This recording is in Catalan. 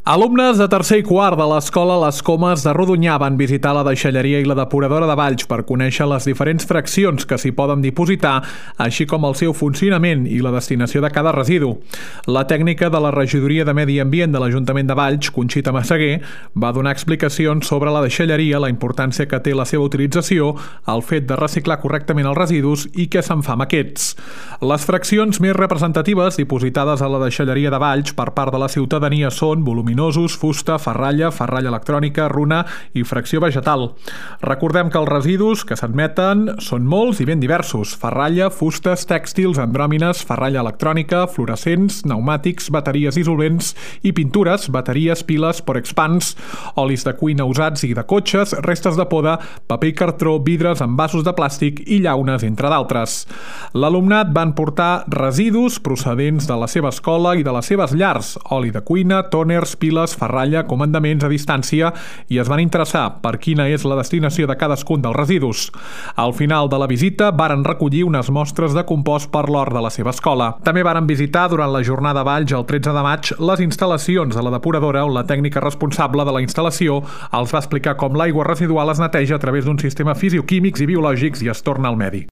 Alumnes de tercer i quart de l'escola Les Comes de Rodonyà van visitar la deixalleria i la depuradora de Valls per conèixer les diferents fraccions que s'hi poden dipositar, així com el seu funcionament i la destinació de cada residu. La tècnica de la Regidoria de Medi Ambient de l'Ajuntament de Valls, Conxita Massaguer, va donar explicacions sobre la deixalleria, la importància que té la seva utilització, el fet de reciclar correctament els residus i què se'n fa amb aquests. Les fraccions més representatives dipositades a la deixalleria de Valls per part de la ciutadania són voluminosos, fusta, ferralla electrònica, runa i fracció vegetal. Recordem que els residus que s'admeten són molts i ben diversos: ferralla, fustes, tèxtils, andròmines, ferralla electrònica, fluorescents, pneumàtics, bateries dissolvents i pintures, bateries, piles, porexpans, olis de cuina usats i de cotxes, restes de poda, paper i cartró, vidres, envasos de plàstic i llaunes, entre d'altres. L'alumnat van portar residus procedents de la seva escola i de les seves llars: oli de cuina, tòners, piles, ferralla, comandaments a distància, i es van interessar per quina és la destinació de cadascun dels residus. Al final de la visita varen recollir unes mostres de compost per l'hort de la seva escola. També varen visitar durant la jornada Valls el 13 de maig les instal·lacions de la depuradora, on la tècnica responsable de la instal·lació els va explicar com l'aigua residual es neteja a través d'un sistema fisioquímics i biològics i es torna al medi.